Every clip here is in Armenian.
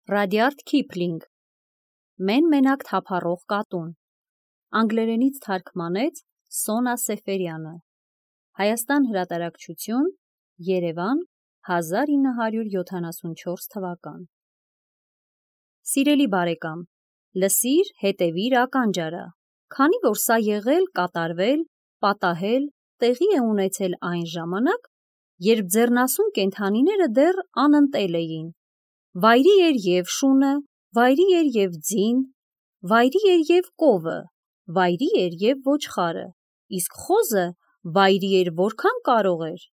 Ռադյարդ Քիփլինգ Մեն-մենակ թափառող կատուն Անգլերենից թարգմանեց Սոնա Սեֆերյանը Հայաստան հրատարակչություն Երևան 1974 թվական Սիրելի բարեկամ, լսիր, հետևիր ականջարա, քանի որ սա եղել, կատարվել, պատահել, տեղի է ունեցել այն ժամանակ, երբ ձեռնասուն կենդանիները դեռ անընտել էին, վայրի էր և շունը, վայրի էր և ձին, վայրի էր և կովը, վայրի էր և ոչխարը, իսկ խոզը վայրի էր որքան կարող էր,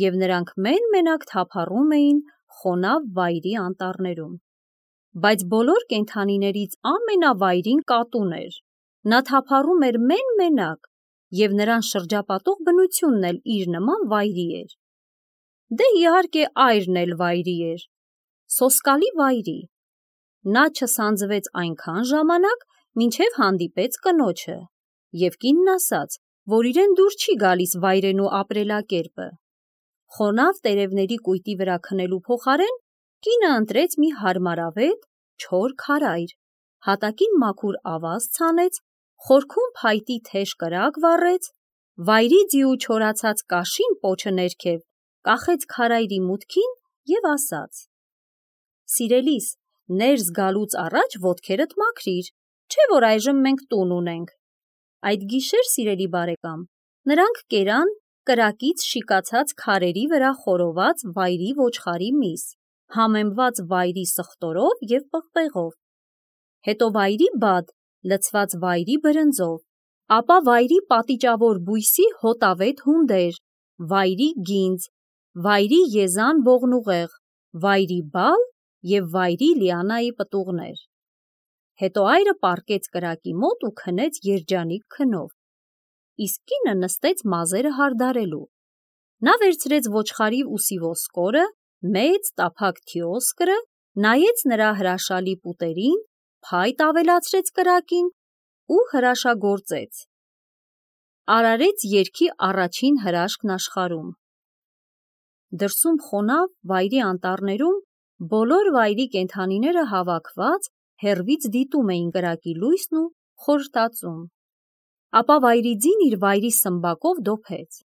և նրանք մեն-մենակ թափառում էին խոնավ վայրի անտառներում, բայց բոլոր կենդանիներից ամենավայրին կատուն էր, նա թափառում էր մեն-մենակ, և նրան շրջապատող բնությունն էլ իր նման վայրի էր, դե իհարկե այրն էլ վայրի էր, սոսկալի վայրի, նա չսանձվեց այնքան ժամանակ, մինչև հանդիպեց կնոջը, և կինն ասաց, որ իրեն դուր չի գալիս վայրենու ապրելակերպը, խոնավ տերևների կույտի վրա քնելու փոխարեն, կինը ընտրեց մի հարմարավետ, չոր քարայր, հատակին մաքուր ավազ ցանեց, խորքում փայտի թեժ կրակ վառեց, վայրի ձիու չորացած կաշին պոչը ներքև, կախեց քարայրի մուտքին և ասաց. Սիրելիս, ներս գալուց առաջ ոտքերդ մաքրիր, չէ որ այժմ մենք տուն ունենք։ Այդ գիշեր, սիրելի բարեկամ, նրանք կերան կրակից շիկացած քարերի վրա խորոված վայրի ոչխարի միս, համեմված վայրի սխտորով և պղպեղով, հետո վայրի բադ, լցված վայրի բրնձով, ապա վայրի պատիճավոր բույսի հոտավետ հունդեր, վայրի գինձ, վայրի եզան ողնուղեղ, վայրի բալ և վայրի լիանայի պտուղներ։ Հետո այրը պառկեց կրակի մոտ ու քնեց երջանիկ քնով, իսկ կինը նստեց մազերը հարդարելու։ Նա վերցրեց ոչխարի ուսի ոսկորը, մեծ տափակ թիոսկրը, նայեց նրա հրաշալի պուտերին, փայտ ավելացրեց կրակին ու հրաշագործեց։ Արարեց երգի առաջին հրաշքն աշխարհում։ Դրսում խոնավ վայրի անտառներում բոլոր վայրի կենդանիները հավաքված հեռվից դիտում էին կրակի լույսն ու խորհրտածում։ Ապա վայրի ձին իր վայրի սմբակով դոփեց.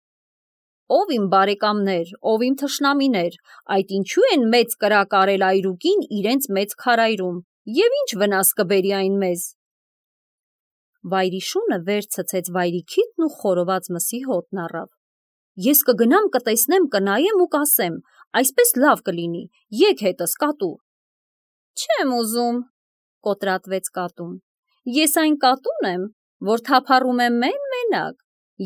Ով իմ բարեկամներ, ով իմ թշնամիներ, այդ ինչու են մեծ կրակ արել այրուկին իրենց մեծ քարայրում, և ինչ վնաս կբերի այն մեզ։ Վայրի շունը վեր ցցեց վայրի քիթն ու խորոված մսի հոտն առավ։ Ես կգնամ, կտեսնեմ, կնայեմ ու կասեմ, այսպես լավ կլինի, եկ հետս կատու։ Չեմ ուզում, կոտրատվեց կատուն, ես այն կատուն եմ, որ թափառում է մեն-մենակ,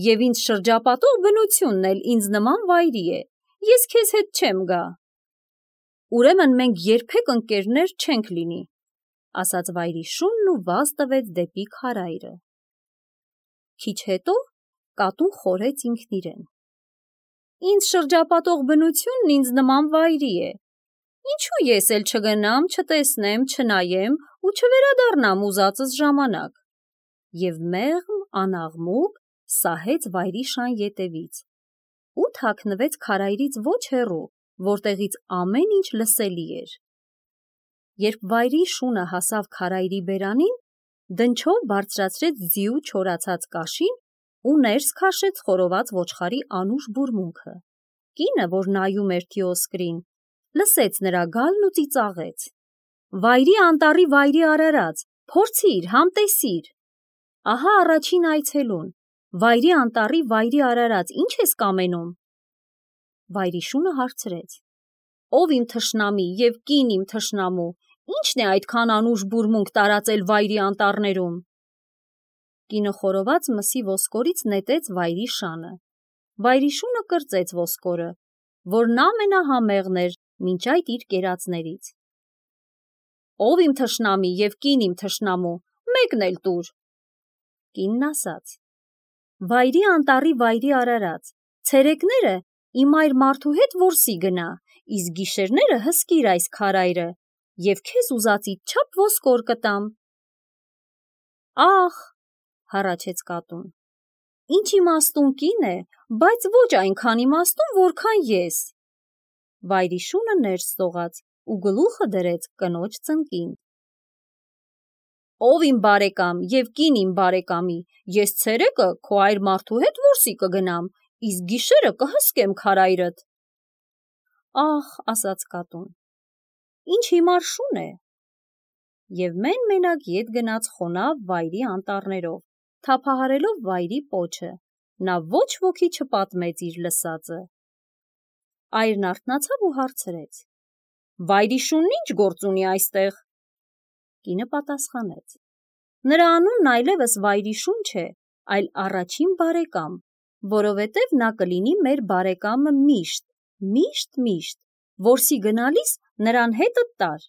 և ինձ շրջապատող բնությունն էլ ինձ նման վայրի է, ես քեզ հետ չեմ գա։ Ուրեմն մենք երբեք ընկերներ չենք լինի, ասաց վայրի շունն ու վազ տվեց դեպի քարայրը։ Քիչ հետո կատուն խորեց ինքն իրեն. Ինձ շրջապատող բնությունն ինձ նման վայրի է, ինչու ես էլ չգնամ, չտեսնեմ, չնայեմ ու չվերադառնամ ուզածս ժամանակ, և մեղմ անաղմուկ սահեց վայրի շան ետևից ու թաքնվեց քարայրից ոչ հեռու, որտեղից ամեն ինչ լսելի էր։ Երբ վայրի շունը հասավ քարայրի բերանին, դնչով բարձրացրեց ձիու չորացած կաշին ու ներս քաշեց խորոված ոչխարի անուշ բուրմունքը։ Կինը, որ նայում էր թիոսկրին, լսեց նրա գալն ու ծիծաղեց. Վայրի անտառի վայրի արարած, փորձիր, համտեսիր։ Ահա առաջին այցելուն, վայրի անտառի վայրի արարած, ինչ ես կամենում։ Վայրի շունը հարցրեց. Ով իմ թշնամի և կին իմ թշնամու, ի՞նչն է այդքան անուշ բուրմունք տարածել վայրի անտառներում։ Կինը խորոված մսի ոսկորից նետեց վայրի շանը։ Վայրի շունը կրծեց ոսկորը, որն ամենահամեղն էր մինչ այդ իր կերածներից։ Ով իմ թշնամի և կին իմ թշնամու, մեկն էլ տուր։ Կինն ասաց. Վայրի անտառի վայրի արարած, ցերեկները իմ այր մարդու հետ որսի գնա, իսկ գիշերները հսկիր այս քարայրը, և քեզ ուզածիդ չափ ոսկոր կտամ։ Ախ, հառաչեց կատուն, ինչ իմաստուն կին է, բայց ոչ այնքան իմաստուն, որքան ես։ Վայրի շունը ներս սողաց ու գլուխը դրեց կնոջ ծնկին։ Ով իմ բարեկամ և կին իմ բարեկամի, ես ցերեկը քո այր մարդու հետ որսի կգնամ, իսկ գիշերը կհսկեմ քարայրդ։ Ահ, ասաց կատուն, ինչ հիմար շուն է։ Եվ մեն-մենակ ետ գնաց խոնավ վայրի անտառներով, թափահարելով վայրի պոչը, նա ոչ ոքի չպատմեց իր լսածը։ Այրն արթնացավ ու հարցրեց. Վայրի շունն ինչ գործ ունի այստեղ։ Կինը պատասխանեց. նրա անունն այլևս վայրի շուն չէ, այլ առաջին բարեկամ, որովհետև նա կլինի մեր բարեկամը միշտ, որսի գնալիս նրան հետդ տար։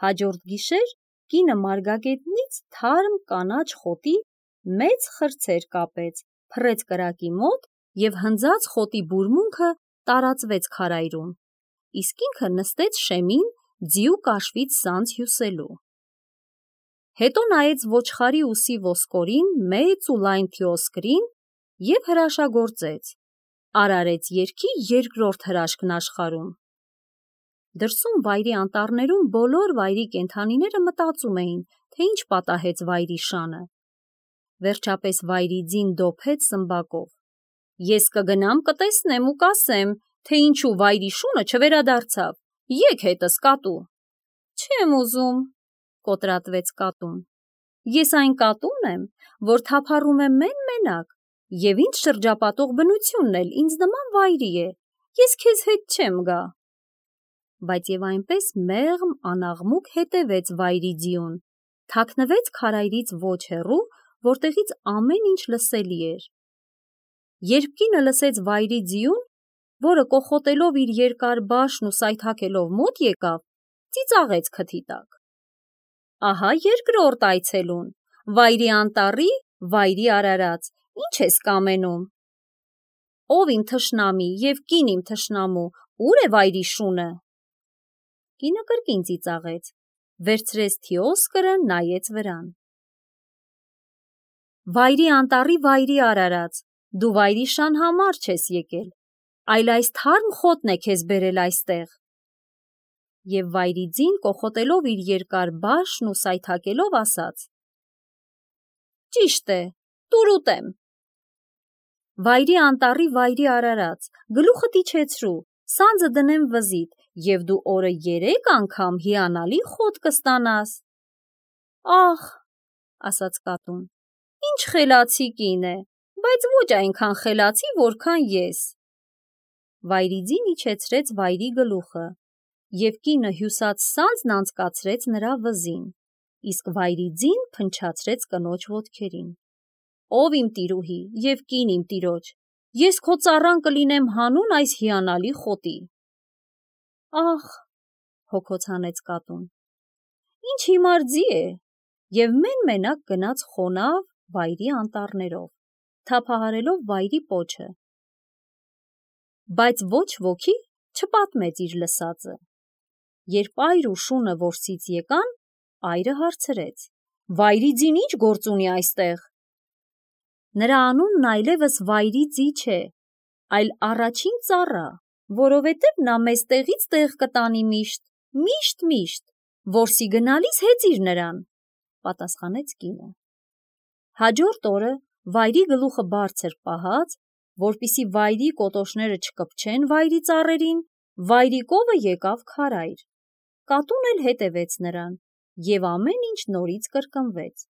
Հաջորդ գիշեր կինը մարգագետնից թարմ կանաչ խոտի մեծ խրձեր կապեց, փռեց կրակի մոտ և հնձած խոտի բուրմունքը տարածվեց քարայրում, իսկ ինքը նստեց շեմին ձիու կաշվից սանձ հյուսելու։ Հետո նայեց ոչխարի ուսի ոսկորին մեծ ու լայն թիոսկրին և հրաշագործեց, արարեց երգի երկրորդ հրաշքն աշխարհում։ Դրսում վայրի անտառներում բոլոր վայրի կենդանիները մտածում էին, թե ինչ պատահեց վայրի շանը։ Վերջապես վայրի ձին դոփեց սմբակով. Ես կգնամ կտեսնեմ ու կասեմ, թե ինչու վայրի շունը չվերադարձավ, եկ հետս կատու։ Չեմ ուզում, կոտրատվեց կատուն։ Ես այն կատուն եմ, որ թափառում է մեն-մենակ, և ինձ շրջապատող բնությունն էլ ինձ նման վայրի է, ես քեզ հետ չեմ գա։ Բայց և այնպես մեղմ անաղմուկ հետևեց վայրի ձիուն, թաքնվեց քարայրից ոչ հեռու, որտեղից ամեն ինչ լսելի էր։ Երբ կինը լսեց վայրի ձիուն, որը կոխոտելով իր երկար բաշն ու սայթաքելով մոտ եկավ, ծիծաղեց քթի տակ. Ահա երկրորդ այցելուն, վայրի անտառի, վայրի արարած, ինչ ես կամենում։ Ով իմ թշնամի և կին իմ թշնամու, ուր է վայրի շունը։ Կինը կրկին ծիծաղեց, վերցրեց թիոսկրը, նայեց վրան։ Վայրի անտառի վայրի արարած, դու վայրի շան համար չես եկել, այլ այս թարմ խոտն է քեզ բերել այստեղ։ Եվ վայրի ձին կոխոտելով իր երկար բաշն ու սայթաքելով ասաց. Ճիշտ է, տուր ուտեմ։ Վայրի անտառի վայրի արարած, գլուխդ իջեցրու, սանձը դնեմ վզիդ, և դու օրը 3 անգամ հիանալի խոտ կստանաս։ Ահ, ասաց կատուն, ինչ խելացի կին է, բայց ոչ այնքան խելացի, որքան ես։ Վայրի ձին իջեցրեց վայրի գլուխը, և կինը հյուսած սանձն անցկացրեց նրա վզին, իսկ վայրի ձին փնչացրեց կնոջ ոտքերին։ Ով իմ տիրուհի և կին իմ տիրոջ, ես քո ծառան կլինեմ հանուն այս հիանալի խոտի։ Ահ, հոգոց հանեց կատուն, ինչ հիմար ձի է, և մեն-մենակ գնաց խոնավ վայրի անտառներով, թափահարելով վայրի պոչը։ Բայց ոչ ոքի չպատմեց իր լսածը։ Երբ այր ու շունը որսից եկան, այրը հարցրեց. Վայրի ձին ինչ գործ ունի այստեղ։ Նրա անունն այլևս վայրի ձի չէ, այլ առաջին ծառա, որովհետև նա մեզ տեղից տեղ կտանի միշտ, որսի գնալիս հեծիր նրան, պատասխանեց կինը։ Հաջորդ օրը վայրի գլուխը բարձր պահած, որպեսզի վայրի կոտոշները չկպչեն վայրի ծառերին, վայրի կովը եկավ քարայր։ Կատուն էլ հետևեց նրան, և ամեն ինչ նորից կրկնվեց։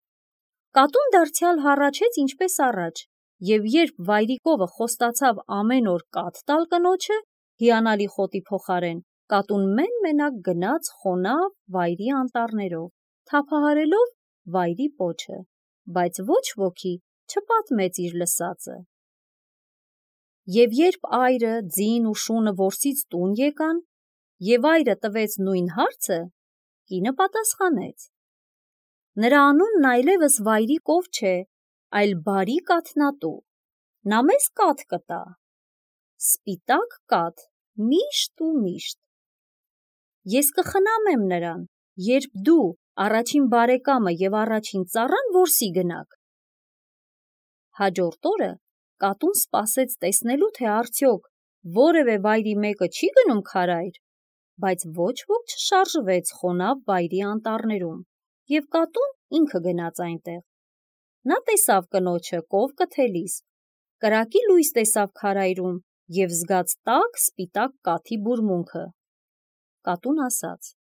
Կատուն դարձյալ հառաչեց ինչպես առաջ, և երբ վայրի կովը խոստացավ ամեն օր կաթ տալ կնոջը, հիանալի խոտի փոխարեն, կատուն մեն-մենակ գնաց խոնավ վայրի անտառներով, թափահարելով վայրի պոչը, բայց ոչ ոքի չպատմեց իր լսածը։ Եվ երբ այրը, ձին ու շունը որսից տուն եկան, և այրը տվեց նույն հարցը, կինը պատասխանեց. Նրա անունն այլևս վայրի կով չէ, այլ բարի կաթնատու, նա մեզ կաթ կտա, սպիտակ կաթ, միշտ։ Ես կխնամեմ նրան, երբ դու, առաջին բարեկամը և առաջին ծառան որսի գնաք։ Հաջորդ օրը կատուն սպասեց տեսնելու, թե արդյոք որևէ վայրի մեկը չի գնում քարայր, բայց ոչ ոք չշարժվեց խոնավ վայրի անտառներում, և կատուն ինքը գնաց այնտեղ։ Նա տեսավ կնոջը կով կթելիս, կրակի լույս տեսավ քարայրում և զգաց տաք սպիտակ կաթի բուրմունքը։ Կատուն ասաց.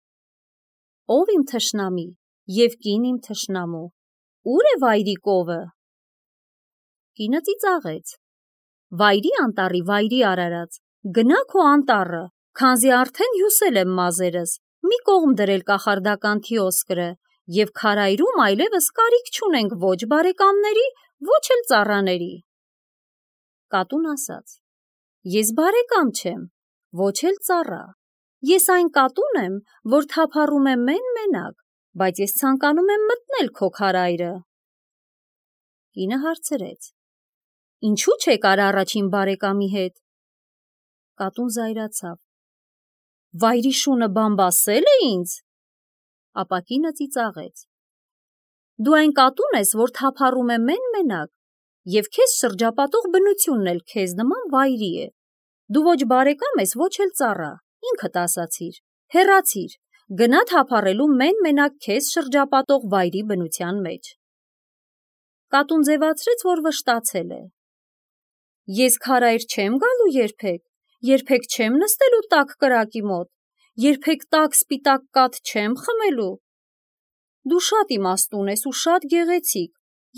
«Ով իմ թշնամի և կին իմ թշնամու, ուր է վայրի կովը»։ Կինը ծիծաղեց. «Վայրի անտառի վայրի արարած, գնա քո անտառը, քանզի արդեն հյուսել եմ մազերս, մի կողմ դրել կախարդական թիոսկրը, և քարայրում այլևս կարիք չունենք ոչ բարեկամների, ոչ էլ ծառաների»։ Կատուն ասաց. «Ես բարեկամ չեմ, ոչ էլ ծառա, ես այն կատուն եմ, որ թափառում է մեն-մենակ, բայց ես ցանկանում եմ մտնել քո քարայրը»։ Կինը հարցրեց. «Ինչու չեք առաջին բարեկամի հետ»։ Կատուն զայրացավ. «Վայրի շունը բամբասել է ինձ»։ Ապա կինը ծիծաղեց. «Դու այն կատուն ես, որ թափառում է մեն-մենակ, և քեզ շրջապատող բնությունն էլ քեզ նման վայրի է։ Դու ոչ բարեկամ ես, ոչ էլ ծառա, ինքդ ասացիր, հեռացիր, գնա թափառելու մեն-մենակ քեզ շրջապատող վայրի բնության մեջ»։ Կատուն ձևացրեց, որ վշտացել է. «Ես քարայր չեմ գալու երբեք չեմ նստելու տաք կրակի մոտ, երբեք տաք սպիտակ կաթ չեմ խմելու։ Դու շատ իմաստուն ես ու շատ գեղեցիկ,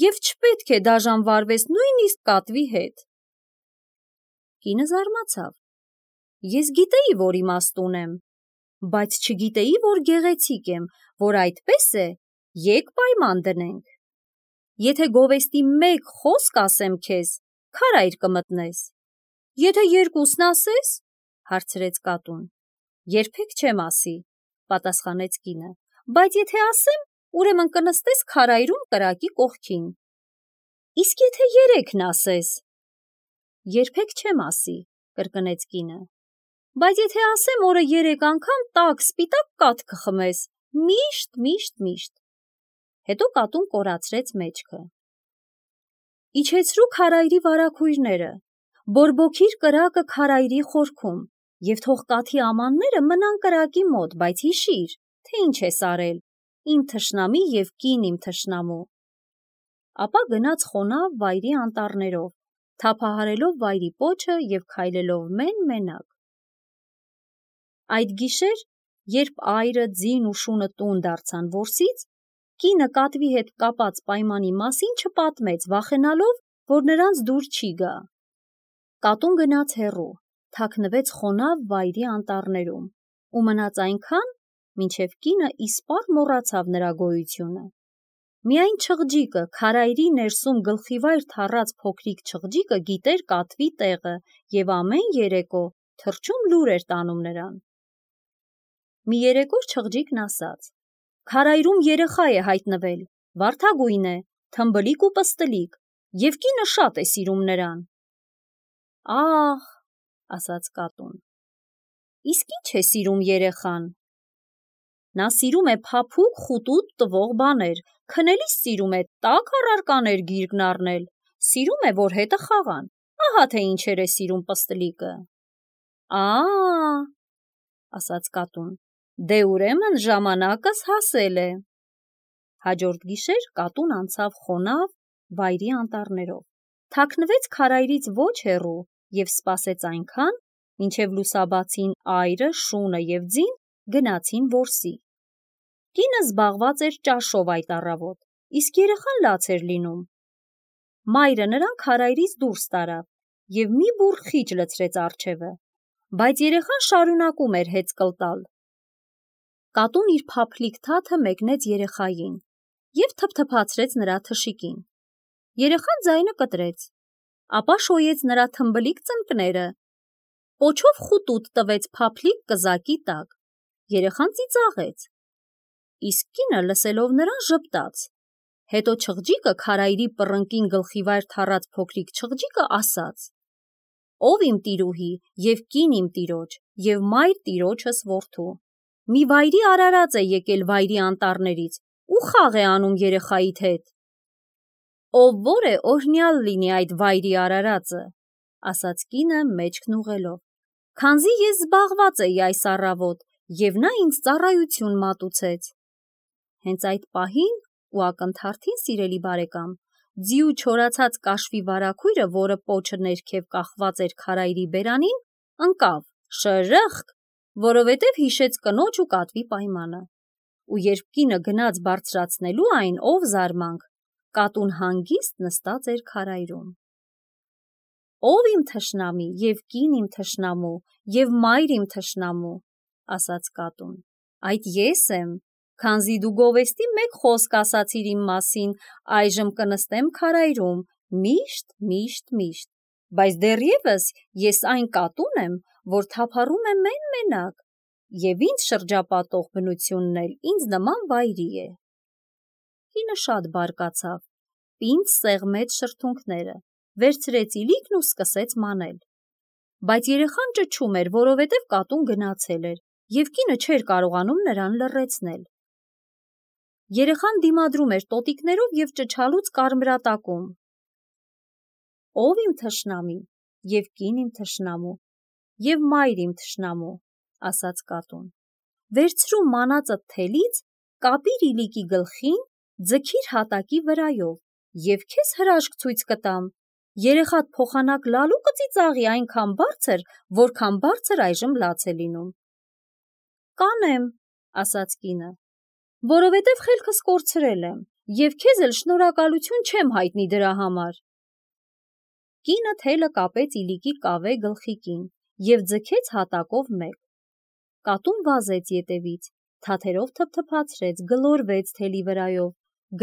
և չպետք է դաժան վարվես նույնիսկ կատվի հետ»։ Կինը զարմացավ. «Ես գիտեի, որ իմաստուն եմ, բայց չգիտեի, որ գեղեցիկ եմ, որ այդպես է, եկ պայման դնենք։ Եթե գովեստի մեկ խոսք ասեմ քեզ, քարայր կմտնես, եթե երկուսն ասես, հարցրեց կատուն։ Երբեք չեմ ասի, պատասխանեց կինը, բայց եթե ասեմ, ուրեմն կնստես քարայրում կրակի կողքին։ Իսկ եթե երեքն ասես։ Երբեք չեմ ասի, կրկնեց կինը, բայց եթե ասեմ, օրը 3 անգամ տաք սպիտակ կաթ կխմես, միշտ։ Հետո կատուն կորացրեց մեջքը։ Իջեցրու քարայրի վարագույրները, բորբոքիր կրակը քարայրի խորքում, և թող կաթի ամանները մնան կրակի մոտ, բայց հիշիր, թե ինչ ես արել, իմ թշնամի և կին իմ թշնամու։ Ապա գնաց խոնավ վայրի անտառներով, թափահարելով վայրի պոչը և քայլելով մեն-մենակ։ Այդ գիշեր, երբ այրը, ձին ու շունը տուն դարձան որսից, կինը կատվի հետ կապած պայմանի մասին չպատմեց, վախենալով, որ նրանց դուր չի գա։ Կատուն գնաց հեռու, թաքնվեց խոնավ վայրի անտառներում ու մնաց այնքան, մինչև կինը իսպառ մոռացավ նրա գոյությունը։ Միայն չղջիկը, քարայրի ներսում գլխիվայր թառած փոքրիկ չղջիկը գիտեր կատվի տեղը և ամեն երեկո թռչուն լուր էր տանում նրան։ Մի երեկո չղջիկն ասաց. «Քարայրում երեխա է հայտնվել, վարդագույն է, թմբլիկ ու պստլիկ, և կինը շատ է սիրում նրան»։ Ահ, ասաց կատուն, իսկ ինչ է սիրում երեխան։ Նա սիրում է փափուկ խուտուտ տվող բաներ, քնելիս սիրում է տաք առարկաներ գիրկն առնել, սիրում է, որ հետը խաղան, ահա թե ինչեր է սիրում պստլիկը։ Ասաց կատուն, դե ուրեմն ժամանակս հասել է։ Հաջորդ գիշեր կատուն անցավ խոնավ վայրի անտառներով, թաքնվեց քարայրից ոչ հեռու և սպասեց այնքան, մինչև լուսաբացին այրը, շունը և ձին գնացին որսի։ Կինը զբաղված էր ճաշով այդ առավոտ, իսկ երեխան լաց էր լինում։ Մայրը նրան քարայրից դուրս տարավ և մի բուռ խիճ լցրեց առջևը, բայց երեխան շարունակում էր հեծկլ տալ։ Կատուն իր փափլիկ թաթը մեկնեց երեխային և թփթփացրեց նրա թշիկին։ Երեխան ձայնը կտրեց, ապա շոյեց նրա թմբլիկ ծնկները, պոչով խուտուտ տվեց փափլիկ կզակի տակ։ Երեխան ծիծաղեց, իսկ կինը լսելով նրան ժպտաց։ Հետո չղջիկը քարայրի պռնկին գլխիվայր թառած փոքրիկ չղջիկը ասաց. «Ով իմ տիրուհի և կին իմ տիրոջ և մայր տիրոջս որդու, մի վայրի արարած է եկել վայրի անտառներից ու խաղ է անում երեխայիդ հետ»։ «Ով որ է, օրհնյալ լինի այդ վայրի արարածը», ասաց կինը մեջքն ուղղելով, «քանզի ես զբաղված էի այս առավոտ և նա ինձ ծառայություն մատուցեց։ Հենց այդ պահին ու ակնթարթին, սիրելի բարեկամ, ձիու չորացած կաշվի վարագույրը, որը պոչը ներքև կախված էր քարայրի բերանին, ընկավ շրըխկ, որովհետև հիշեց կնոջ ու կատվի պայմանը։ Ու երբ կինը գնաց բարձրացնելու այն, ով զարմանք, կատուն հանգիստ նստած էր քարայրում։ «Ով իմ թշնամի և կին իմ թշնամու և մայր իմ թշնամու», ասաց կատուն, «այդ ես եմ, քանզի դու գովեստի մեկ խոսք ասացիր իմ մասին, այժմ կնստեմ քարայրում միշտ, բայց դեռևս ես այն կատուն եմ, որ թափառում է մեն-մենակ, և ինձ շրջապատող բնությունն էլ ինձ նման վայրի է»։ Կինը շատ բարկացավ, պինդ սեղմեց շրթունքները, վերցրեց իլիկն ու սկսեց մանել։ Բայց երեխան ճչում էր, որովհետև կատուն գնացել էր, և կինը չէր կարողանում նրան լռեցնել։ Երեխան դիմադրում էր տոտիկներով և ճչալուց կարմրատակում. «Ով իմ թշնամի և կին իմ թշնամու և մայր իմ թշնամու», ասաց կատուն, «վերցրու մանածդ թելից, կապիր իլիկի գլխին, ձգիր հատակի վրայով, և քեզ հրաշք ցույց կտամ, երեխադ փոխանակ լալու կծիծաղի այնքան բարձր, որքան բարձր այժմ լաց է լինում»։ «Կանեմ», ասաց կինը, «որովհետև խելքս կորցրել եմ, և քեզ էլ շնորհակալություն չեմ հայտնի դրա համար»։ Կինը թելը կապեց իլիկի կավե գլխիկին և ձգեց հատակով մեկ։ Կատուն վազեց ետևից, թաթերով թփթփացրեց, գլորվեց թելի վրայով,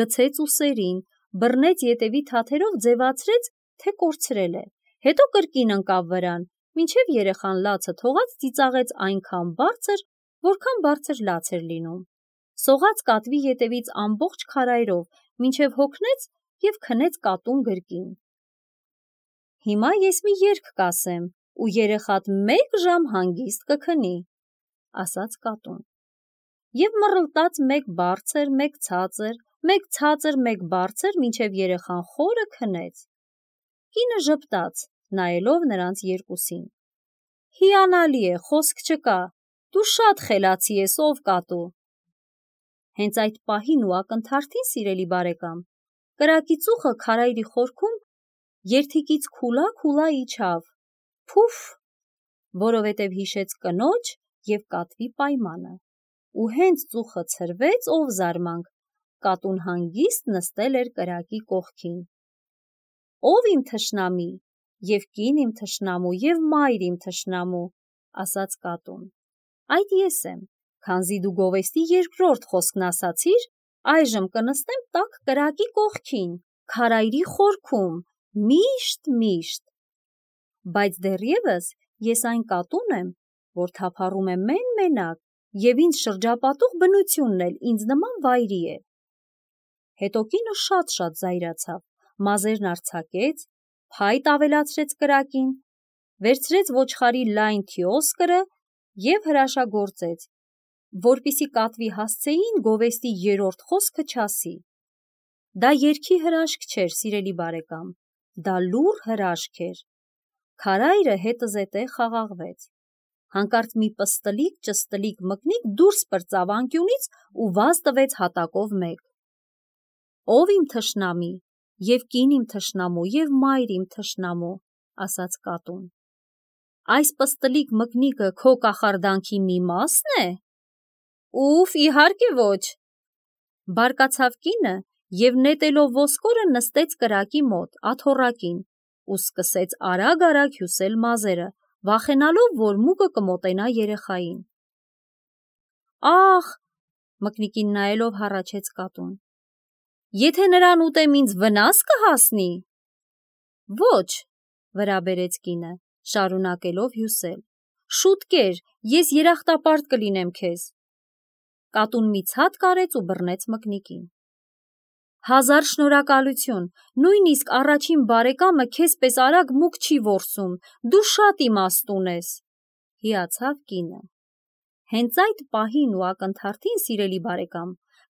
գցեց ուսերին, բռնեց ետևի թաթերով, ձևացրեց, թե կորցրել է, հետո կրկին ընկավ վրան, մինչև երեխան լացը թողած ծիծաղեց այնքան բարձր, որքան բարձր լաց էր լինում, սողաց կատվի ետևից ամբողջ քարայրով, մինչև հոգնեց և քնեց կատուն գրկին։ «Հիմա ես մի երգ կասեմ, ու երեխադ 1 ժամ հանգիստ կքնի», ասաց կատուն։ Եվ մռլտաց մեկ բարձր, մեկ ցածր, մեկ ցածր, մեկ բարձր, մինչև երեխան խորը քնեց։ Կինը ժպտաց, նայելով նրանց երկուսին. «Հիանալի է, խոսք չկա, դու շատ խելացի ես, ով կատու»։ Հենց այդ պահին ու ակնթարթին, սիրելի բարեկամ, կրակի ծուխը քարայրի խորքում երթիկից քուլա իջավ, փուֆ, որովհետև հիշեց կնոջ և կատվի պայմանը, ու հենց ծուխը ցրվեց, ով զարմանք, կատուն հանգիստ նստել էր կրակի կողքին։ «Ով իմ թշնամի և կին իմ թշնամու և մայր իմ թշնամու», ասաց կատուն, «այդ ես եմ, քանզի դու գովեստի 2-րդ խոսքն ասացիր, այժմ կնստեմ տաք կրակի կողքին, քարայրի խորքում, միշտ, բայց դեռևս ես այն կատուն եմ, որ թափառում է մեն-մենակ, և ինձ շրջապատող բնությունն էլ ինձ նման վայրի է»։ Հետո կինը շատ զայրացավ, մազերն արձակեց, փայտ ավելացրեց կրակին, վերցրեց ոչխարի լայն թիոսկրը և հրաշագործեց, որպեսզի կատվի հասցեին գովեստի 3-րդ խոսքը չասի։ Դա երգի հրաշք չէր, սիրելի բարեկամ, դա լուռ հրաշք էր։ Քարայրը հետզհետե խաղաղվեց։ Հանկարծ մի պստլիկ մկնիկ դուրս պրծավ անկյունից ու վազ տվեց հատակով մեկ։ «Ով իմ թշնամի և կին իմ թշնամու և մայր իմ թշնամու», ասաց կատուն, «այս պստլիկ մկնիկը քո կախարդանքի մի մասն է»։ «Ուֆ, իհարկե ոչ», բարկացավ կինը և նետելով ոսկորը նստեց կրակի մոտ, աթոռակին, ու սկսեց արագ հյուսել մազերը, վախենալով, որ մուկը կմոտենա երեխային։ «Ախ», մկնիկին նայելով հառաչեց կատուն, «եթե նրան ուտեմ, ինձ վնաս կհասնի»։ «Ոչ», վրա բերեց կինը, շարունակելով հյուսել, «շուտ կեր, ես երախտապարտ կլինեմ քեզ»։ Կատուն մի ցած կարեց ու բռնեց մկնիկին։ «Հազար շնորհակալություն, նույնիսկ առաջին բարեկամը քեզ պես արագ մուկ չի որսում, դու շատ իմաստուն ես», հիացավ կինը։ Հենց այդ պահին ու ակնթարթին, սիրելի բարեկամ,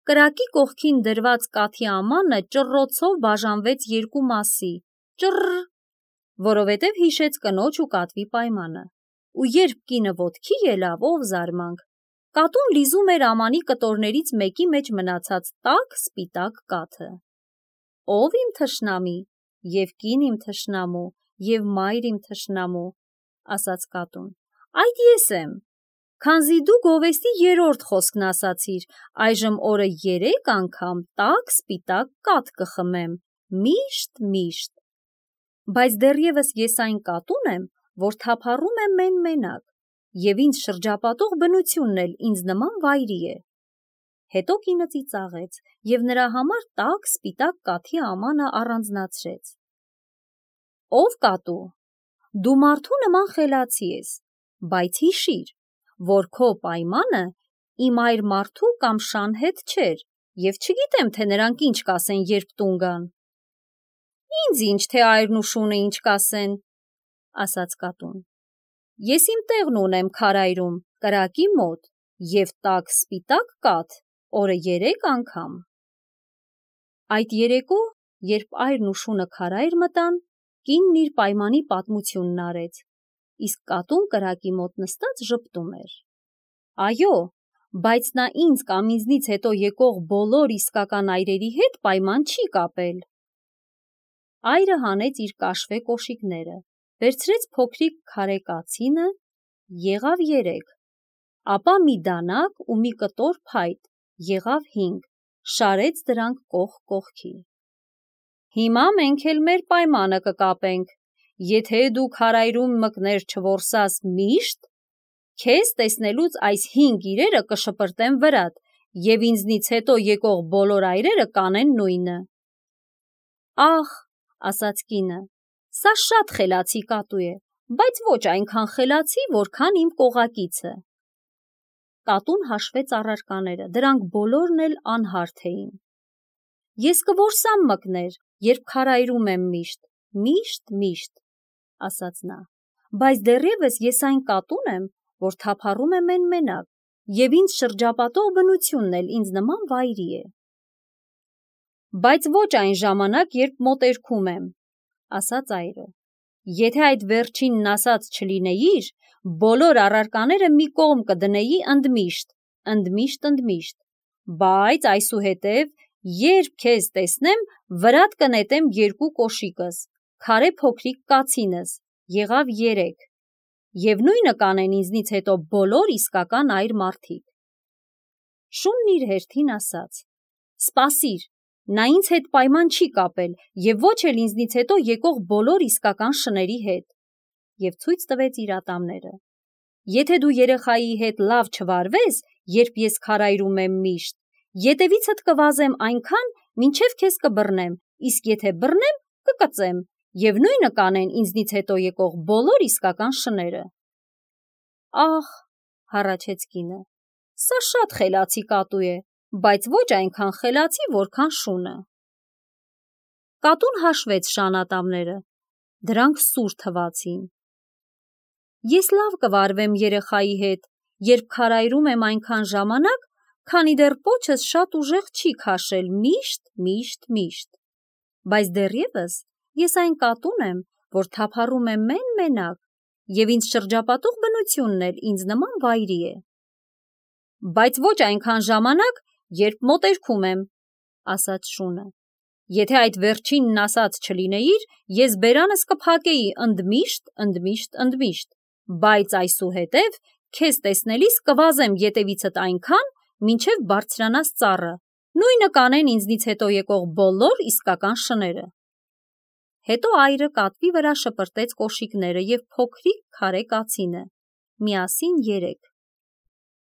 կրակի կողքին դրված կաթի ամանը ճռռոցով բաժանվեց 2 մասի, ճռռ, որովհետև հիշեց կնոջ ու կատվի պայմանը, ու երբ կինը ոտքի ելավ, ով զարմանք, Կատուն լիզում էր ամանի կտորներից մեկի մեջ մնացած տաք սպիտակ կաթը։ Ով իմ թշնամի, և կին իմ թշնամու, և մայր իմ թշնամու, ասաց կատուն, այդ ես եմ, քանզի դու գովեստի 3-րդ խոսքն ասացիր, այժմ օրը 3 անգամ տաք սպիտակ կաթ կխմեմ, միշտ։ Բայց դեռևս ես այն կատուն եմ, որ թափառում է մեն-մենակ, և ինձ շրջապատող բնությունն էլ ինձ նման վայրի է։ Հետո կինը ծիծաղեց և նրա համար տաք սպիտակ կաթի ամանը առանձնացրեց։ Ով կատու, դու մարդու նման խելացի ես, բայց հիշիր, որ քո պայմանը իմ այր մարդու կամ շան հետ չէր, և չգիտեմ, թե նրանք ինչ կասեն, երբ տուն գան։ Ինձ ինչ, թե այրն ու շունը ինչ կասեն, ասաց կատուն։ Ես իմ տեղն ունեմ քարայրում, կրակի մոտ, և տաք սպիտակ կաթ օրը 3 անգամ։ Այդ երեկո, երբ այրն ու շունը քարայր մտան, կինն իր պայմանի պատմությունն արեց, իսկ կատուն կրակի մոտ նստած ժպտում էր։ Այո, բայց նա ինձ կամ ինձնից հետո եկող բոլոր իսկական այրերի հետ պայման չի կապել։ Այրը հանեց իր կաշվե կոշիկները, վերցրեց փոքրիկ քարե կացինը, եղավ 3, ապա մի դանակ ու մի կտոր փայտ, եղավ 5, շարեց դրանք կողք կողքի։ Հիմա մենք էլ մեր պայմանը կկապենք, եթե դու քարայրում մկներ չորսաս միշտ, քեզ տեսնելուց այս 5 իրերը կշպրտեն վրատ, և ինձնից հետո եկող բոլոր այրերը կանեն նույնը։ Ախ, ասաց կինը, սա շատ խելացի կատու է, բայց ոչ այնքան խելացի, որքան իմ կողակիցը։ Կատուն հաշվեց առարկաները, դրանք բոլորն էլ անհարթ էին։ Ես կորսամ մկներ, երբ քարայրում եմ միշտ, ասաց նա, բայց դեռևս ես այն կատուն եմ, որ թափառում է մեն-մենակ, և ինձ շրջապատող բնությունն էլ ինձ նման վայրի է։ Բայց ոչ այն ժամանակ, երբ մոտերքում եմ, ասաց այրը։ Եթե այդ վերջինն ասած չլինեիր, բոլոր առարկաները մի կողմ կդնեի ընդմիշտ, բայց այսուհետև, երբ քեզ տեսնեմ, վրատ կնետեմ 2 կոշիկս, քարե փոքրիկ կացինս, եղավ 3, և նույնը կանեն ինձնից հետո բոլոր իսկական այր մարդիկ։ Շունն իր հերթին ասաց. Սպասիր, նա ինձ հետ պայման չի կապել և ոչ էլ ինձնից հետո եկող բոլոր իսկական շների հետ, և ցույց տվեց իր ատամները։ Եթե դու երեխայի հետ լավ չվարվես, երբ ես քարայրում եմ միշտ, ետևիցդ կվազեմ այնքան, մինչև քեզ կբռնեմ, իսկ եթե բռնեմ, կկծեմ, և նույնը կանեն ինձնից հետո եկող բոլոր իսկական շները։ Ախ, հառաչեց կինը, սա շատ խելացի կատու է, բայց ոչ այնքան խելացի, որքան շունը։ Կատուն հաշվեց շան ատամները, դրանք սուր թվացին։ Ես լավ կվարվեմ երեխայի հետ, երբ քարայրում եմ այնքան ժամանակ, քանի դեռ պոչս շատ ուժեղ չի քաշել միշտ, բայց դեռևս ես այն կատուն եմ, որ թափառում է մեն-մենակ, և ինձ շրջապատող բնությունն էլ ինձ նման վայրի է։ Բայց ոչ այնքան ժամանակ, երբ մոտերքում եմ, ասաց շունը։ Եթե այդ վերջինն ասած չլինեիր, ես բերանս կփակեի ընդմիշտ, բայց այսուհետև քեզ տեսնելիս կվազեմ ետևիցդ այնքան, մինչև բարձրանաս ծառը, նույնը կանեն ինձնից հետո եկող բոլոր իսկական շները։ Հետո այրը կատվի վրա շպրտեց կոշիկները և փոքրիկ քարե կացինը, միասին 3։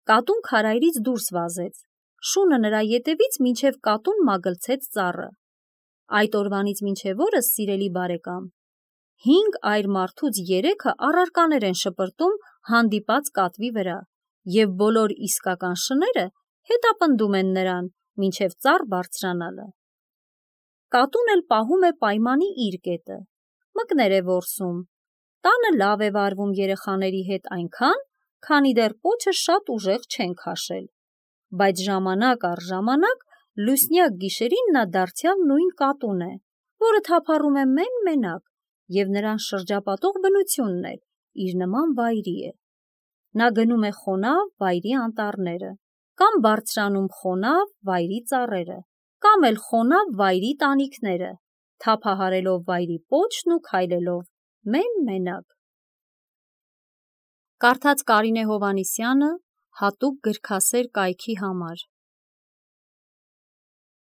Կատուն քարայրից դուրս վազեց, շունը նրա ետևից մինչև կատուն մագլցեց ծառը։ Այդ օրվանից մինչև օրս, սիրելի բարեկամ, 5 այր մարդուց 3-ը առարկաներ են շպրտում հանդիպած կատվի վրա, և բոլոր իսկական շները հետապնդում են նրան, մինչև ծառ բարձրանալը։ Կատուն էլ պահում է պայմանի իր կետը, մկներ է որսում, տանը լավ է վարվում երեխաների հետ այնքան, քանի դեռ պոչը շատ ուժեղ չեն քաշել, բայց ժամանակ առ ժամանակ լուսնյակ գիշերին նա դարձյալ նույն կատուն է, որը թափառում է մեն-մենակ, և նրան շրջապատող բնությունն էլ իր նման վայրի է։ Նա գնում է խոնավ վայրի անտառները, կամ բարձրանում խոնավ վայրի ծառերը, կամ էլ խոնավ վայրի տանիքները, թափահարելով վայրի պոչն ու քայլելով մեն-մենակ։ Կարդաց Կարինե Հովհաննիսյանը հատուկ գրքասեր կայքի համար։